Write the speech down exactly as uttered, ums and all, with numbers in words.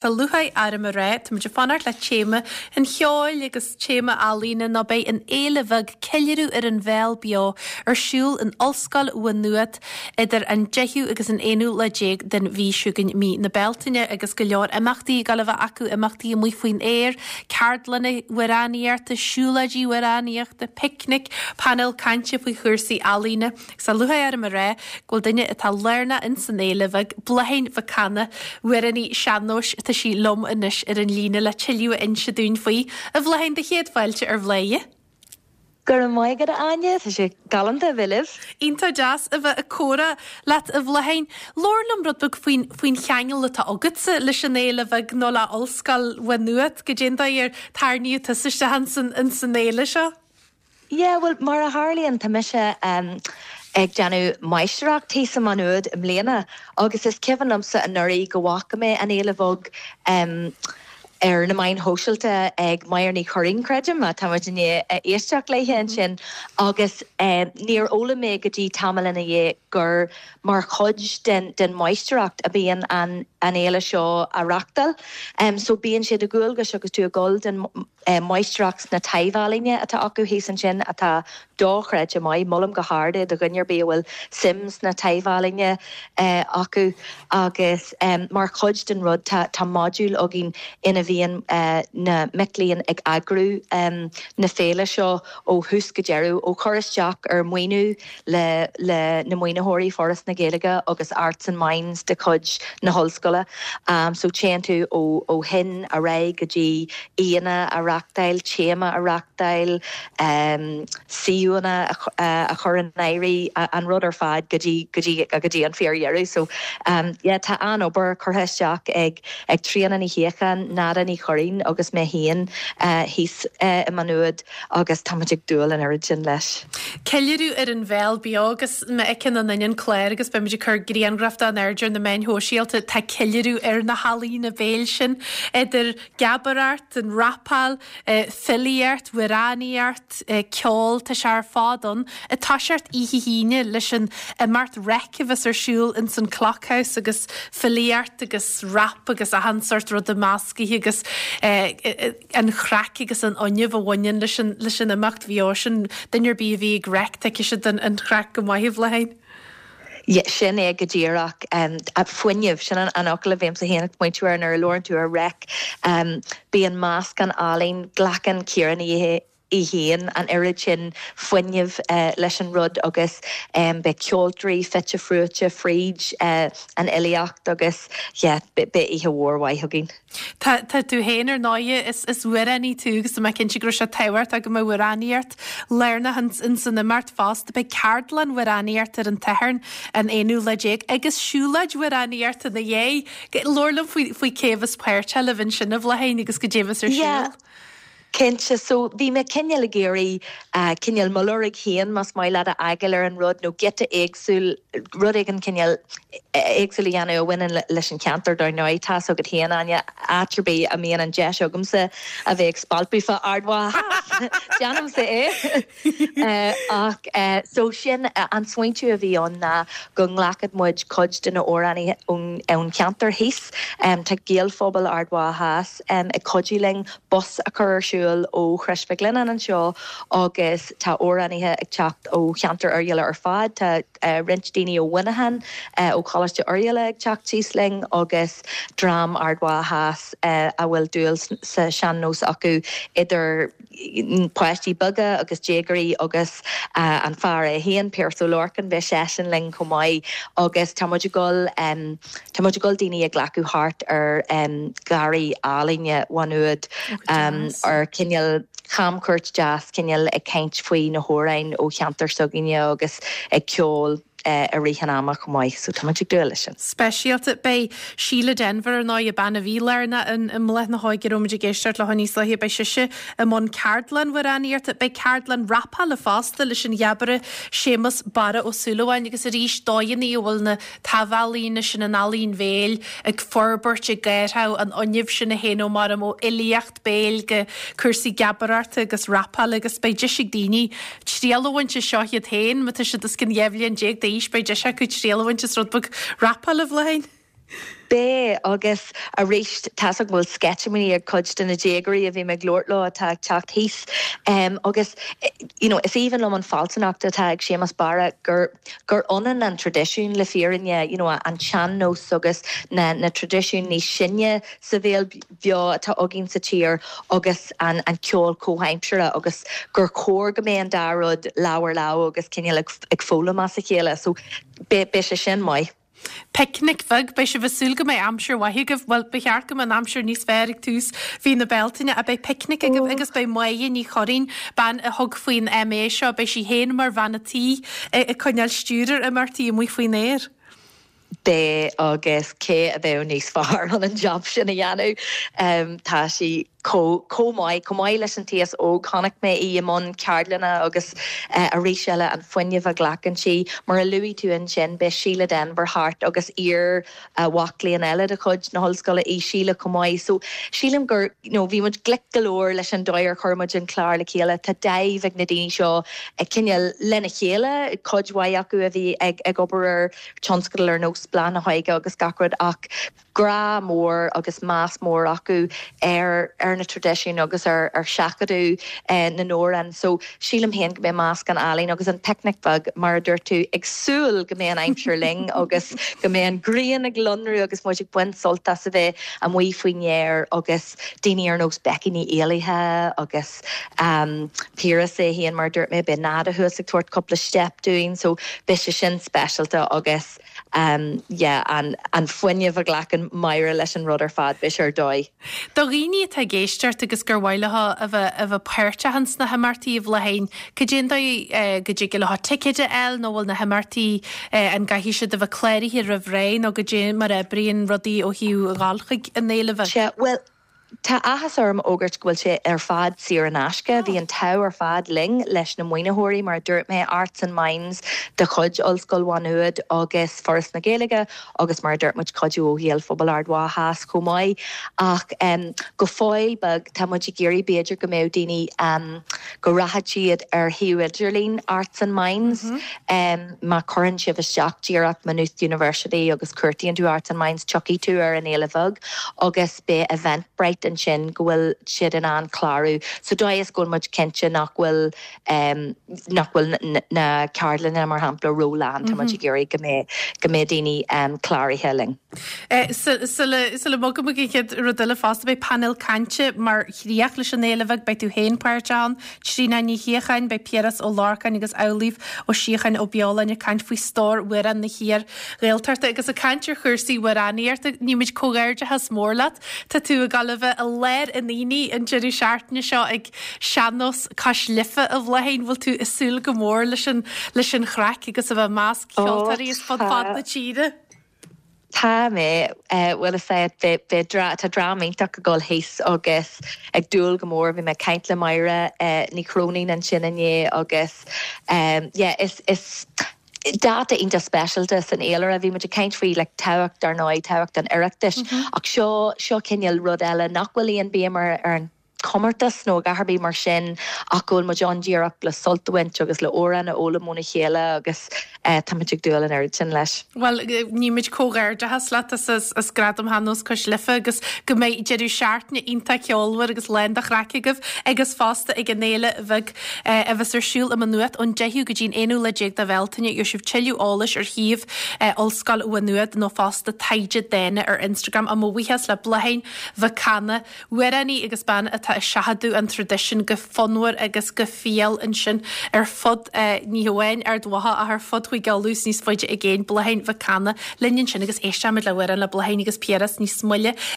Tá lúcháir orm a rá, táimid ag fanacht le téama an cheoil agus téama ealaíne nó beidh an fhéile bheag Ceiliúradh ar an Bhéal Beo ar siúl in Ollscoil Mhá Nuad idir an deichiú agus an aonú lá déag den mhí seo chugainn, mí na Bealtaine, agus go leor imeachtaí ag dul a bheith acu, imeachtaí amuigh faoin aer, ceardlanna amhránaíochta, siúlóidí amhránaíochta, picnic, painéal cainte faoi chúrsaí ealaíne. Agus tá lúcháir orm a rá go bhfuil duine atá lárnach ins an fhéile bheag, Bláithín Mhic Cana, amhránaí sean-nóis, tá sí liom anois ar an líne le tuilleadh a inse dúinn faoi. A Bhláithín, do chéad fáilte ar Bhladhaire. Go raibh maith agat, a Áine, tá sé galánta a bheith libh. Iontach deas a bheith ag comhrá leat, a Bhláithín. Labhair liom rud beag faoin, faoin cheangal atá agatsa leis an fhéile bheag nó le Ollscoil Mhá Nuad, goidé an dóigh ar tarraingíodh tusa isteach ins an, ins an fhéile seo. Yeah, bhuel, mar a tharlaíonn, tá mise ag déanamh máistreacht thíos i Má Nuad i mbliana agus is cuimhin liomsa anuraidh go bhfaca mé an fhéile bheag ar na meáin shóisialta ag Máire Ní Churraoin, creidim, tá muid i ndiaidh éisteacht léithe ansin, agus níor fhoghlaim mé go dtí tamall ina dhiaidh gur mar chuid den den mháistreacht a bhíonn an an fhéile seo á reáchtáil. So bíonn sé de dhualgas agus tú ag dul den máistreacht sna taibh-ealaíne atá acu thíos ansin atá dochreidte maith. Molaim go hard é do dhuine ar bith a bhfuil suim sna taibh-ealaíne acu agus mar chuid den rud tá tá modúl againn ina bhíonn na mic léinn ag eagrú na féile seo ó thús go deireadh, ó chur isteach ar mhaoiniú le le na maoinitheoirí Foras na Gaeilge agus Arts and Minds de chuid na hollscoile. So téann tú ó ó shin ar aghaidh go dtí aíonna a reáchtáil, téama a reáchtáil, suíomhanna a chur in áirithe, an rud ar fad go dtí go dtí go dtí an fíordheireadh. So yeah tá an-obair curtha isteach ag ag Tríona Ní Shíocháin, Nada Ní Churraoin agus mé féin thíos i Má Nuad agus táimid ag dúil an oiread sin leis. Ceiliúradh ar an bhéal beo agus má fheiceann an duine an clár agus beimid ag cur grianghraf de in airde ar na meáin shóisialta, tá ceiliúradh ar na healaíona béil sin, idir geabaireacht, an rapáil, filíocht, amhránaíocht, ceol, tá sé ar fad ann. Ag toiseacht oíche hAoine leis an imeacht Reic a bheas ar siúl ins an Clockhouse agus filíocht agus rap agus achan sórt ruda meascaithe agus an chraic agus an fhuinneamh a bhaineann leis an leis an imeacht bheo sin. Duine ar bith a bhí ag Reic tuigfidh siad an chraic go maith, a Bhláithín. Sin é go díreach. Fuinneamh, sin an fhocal a bhímse féin ag smaointiú air nuair a labhrann tú ar Reic. Bíonn meascán álainn, glacann Ciara Ní É féin an oiread sin fuinnimh leis an rud agus beidh ceoltóirí fite fuaite fríd an fhilíocht agus yeah beidh oíche mhór mhaith againn. Tá tá tú féin ar ndóighe, is is amhránaí tú agus tá mé cinnte go raibh sé tábhachtach go mbeadh amhránaíocht lárnach ins an imeacht fosta. Beidh ceardlann amhránaíochta ar an tSatharn an aonú lá déag agus siúlóid amhránaíochta ina dhiaidh. Labhair liom faoi faoi cé a bheas páirteach libh ansin a Bhláithín agus goidé a bheas ar Yeah. siúl. Cinnte. So, bhí mé cineál ag iarraidh cineál mo lorg féin, más maith leat, a fhágáil ar an rud, nó giota éagsúil, rud éigin cineál éagsúil a dhéanamh a bhaineann leis an cheantar dar ndóigh. Tá's agat féin, Áine, áit ar bith a mbíonn an deis agamsa a bheith ag spalpadh fá Ard Mhacha Theas, déanaimse é. Ach, so sin an smaointiú a bhí ann ná go nglacfadh muid cuid de na hamhránaithe ón cheantar thíos. Tá Gaelphobal Ard Mhacha Theas ag cuidiú linn bus a chur ar siúl ó Chrois Mhic Lionnáin anseo agus tá amhránaithe ag teacht ó cheantar Oirialla ar fad. Tá roinnt daoine ó Mhuineachán, ó Choláiste Oirialla ag teacht síos linn agus dream Ard Mhacha Theas a bhfuil dúil sa sean-nós acu, idir páistí beaga agus déagóirí agus an fear é féin, Pearse Ó Lorcáin, beidh seisean linn chomh maith agus tá muid ag dul tá muid ag dul daoine a ghlacadh thart ar gharraí álainne Mhá Nuad ar cineál camchuairt deas, cineál ag caint faoi na hamhráin ó cheantar s'againne agus ag ceol i rith an ama chomh maith, so tá muid ag dúil leis sin. Speisialta. Beidh Síle Denvir, ar ndóigh, bean a bhí lárnach i mBláth na hÓige, a raibh muid ag éisteacht léi níos luaithe, beidh sise i mbun ceardlann amhránaíochta. Beidh ceardlann rapála fosta leis an gheabaire Séamus Barra Ó Súilleabháin agus arís dóigheanna a bhfuil na taibh-ealaíona sin, an ealaín bhéil, ag forbairt, ag gárthadh, an fhuinneamh sin a théann ó mar ó fhilíocht béil go cúrsaí geabaireachta agus rapála agus beidh deis ag daoine triail a bhaint as seo iad féin, má tá siad os cionn dhá bhliain déag d'aois, beidh deis acu triail a bhaint as rud beag rapála, a Bhláithín. Beidh agus arís tá go bhfuil sceitimíní ag cuid de na déagóirí a bhí ag labhairt leo atá ag teacht thíos um, agus you know, is aoibhinn liom an fealsúnacht atá ag Séamus Barra gur gur ionann an traidisiún le fírinne you know, an sean-nós agus na, na traidisiúin níos sine sa bhéal beo atá againn sa tír agus an, an ceol comhaimseartha agus gur chóir go mbeadh an dá rud lámh ar lámh agus cineál ag, ag foghlaim as a chéile, so beidh sé sin maith. Picnic bheag beidh sibh ag súil go mbeidh aimsir mhaith agaibh well ba cheart go mbeadh an aimsir níos fearr ag tús mhí na Bealtaine a beidh picnic agaibh agus beidh Máire Ní Churraoin bean a thug faoin MA seo beidh sí féin mar bhean an tí ag coinneáil stiúir ar imeachtaí amuigh faoin aer. Beidh agus cé a bheadh níos fearr an an job sin a dhéanamh um, tá sí chomh maith chomh maith leis an t-aos óg chonaic mé í i mbun ceardlanna agus uh, arís eile an fuinneamh a ghlacann sí mar a luaigh tú ansin beidh Síle Denvir thart agus iar uh, mhac léinn eile de chuid na hollscoile í Síle chomh maith so sílim gur you know, bhí muid glic go leor leis an dóigh ar chuir muid an clár le chéile tá dáimh ag na daoine seo ag cineál lena chéile cuid mhaith acu a bhí ag ag obair ar tionscadal ar nós Bláth na hÓige agus gach rud ach grá mór agus meas mór acu ar ar na traidisiúin agus ar ar seachadadh eh, na n-amhrán so sílim féin go mbeidh meascán álainn agus an picnic beag mar a dúirt tú ag súil go mbeidh an aimsir linn agus go mbeidh an ghrian ag lonrú agus muid ag baint sult as a bheith amuigh faoin aer agus daoine ar nós Becky Ní Éallaithe agus um, Piaras é féin mar dúirt mé beidh Nada thuas ag tabhairt cúpla step dúinn so beidh sé sin speisialta agus um, yeah, an, an fuinneamh a ghlacann Máire leis an rud ar fad beidh ar dóigh. Do dhaoine atá ag éisteacht agus gur mhaith leo a bheith a bheith páirteach sna himeachtaí a Bhláithín, Cad é an dóigh go dtig leo ticéid a fháil nó bhfuil na himeachtaí an gcaithfidh siad a bheith cláraithe roimh ré nó cad é mar a oibríonn rudaí ó thaobh dhul chuig an fhéile bheag. Sea, well, Tá áthas orm a fhógairt go bhfuil sé ar fad saor in aisce, bhí an t-ádh ar fad linn leis na maoinitheoirí mar dúirt mé Arts and Minds de chuid Ollscoil Mhá Nuad agus Foras na Gaeilge agus mar dúirt muid cuidiú ó Ghaelphobal Ard Mhacha chomh maith ach um, go fóill beag tá muid ag iarraidh b'fhéidir go mbeadh daoine um, go rachadh siad ar shuíomh idirlín Arts and Minds mm -hmm. um, má chuireann sibh isteach díreach Maynooth University agus cuartaíonn tú Arts and Minds tiocfaidh tú ar an fhéile bheag agus beidh Eventbrite ansin go bhfuil siad in ann clárú. So dóigh is go muid cinnte nach bhfuil um, nach bhfuil na ceardlanna mar shampla rólán tá muid ag iarraidh go mbeidh go mbeidh daoine um, cláraithe linn. Sula mbogaim go chéad rud eile fosta beidh panel cainte mar chríoch leis an fhéile bheag beidh tú féin páirteach ann, Tríona Ní Shíocháin, beidh Piaras Ó Lorcáin agus Amhlaoibh Ó Síocháin Ó Beoláin ag caint faoi stór amhrán na hiar-Ghaeltachta agus ag caint ar chúrsaí amhránaíochta nímid comhghairdeachas mór leat Tá tú ag gabháil a bheith i lár an aonaigh an deireadh seachtaine seo ag Sean-Nós Cois Life a Bhláithín bhfuil tú ag súil go mór leis an leis an chraic agus a bheith i measc ceoltóirí as fud fad na tíre. Tá mé bhfuil sé tá dream iontach ag dul thíos agus ag dúil go mór bhí mé ag caint le Máire Ní Chróinín ansin inné agus yeah, is is dáta iontach speisialta san fhéilire bhí muid ag caint faoi le tábhacht ar ndóigh tábhacht an Oireachtais ach seo seo cineál rud eile nach bhfuil aon bhéim ar an comórtas nó a dhath mar sin ach go bhfuil muid ann díreach le sult a bhaint agus le amhráin a fhoghlaim óna chéile agus uh, tá ag dúil an oiread sin leis. Well nímid comhghairdeachas leat as as gradam Shean-Nós Cois Life agus go mbeidh deireadh seachtaine iontach ceolmhar agus lán de chraic agaibh agus fosta ag an fhéile bheag a bheas ar siúl i Maigh Nuad ón deichiú go dtí'n aonú lá déag de Bhealtaine gheobhaidh sibh tuilleadh eolais ar shuíomh Ollscoil Mhá Nuad nó fosta Taighde Dána ar Instagram a mo bhuíochas le Bláithín Mhic Cana, amhránaí agus bean atá ag seachadadh an traidisiún go fonnmhar agus go fial ansin ar fud ní hamháin Ard Mhacha ach ar fud Chúige Uladh níos faide i gcéin Bláithín Mhic Cana linn ansin agus éisteimid le hamhrán le Bláithín agus Piaras níos moille.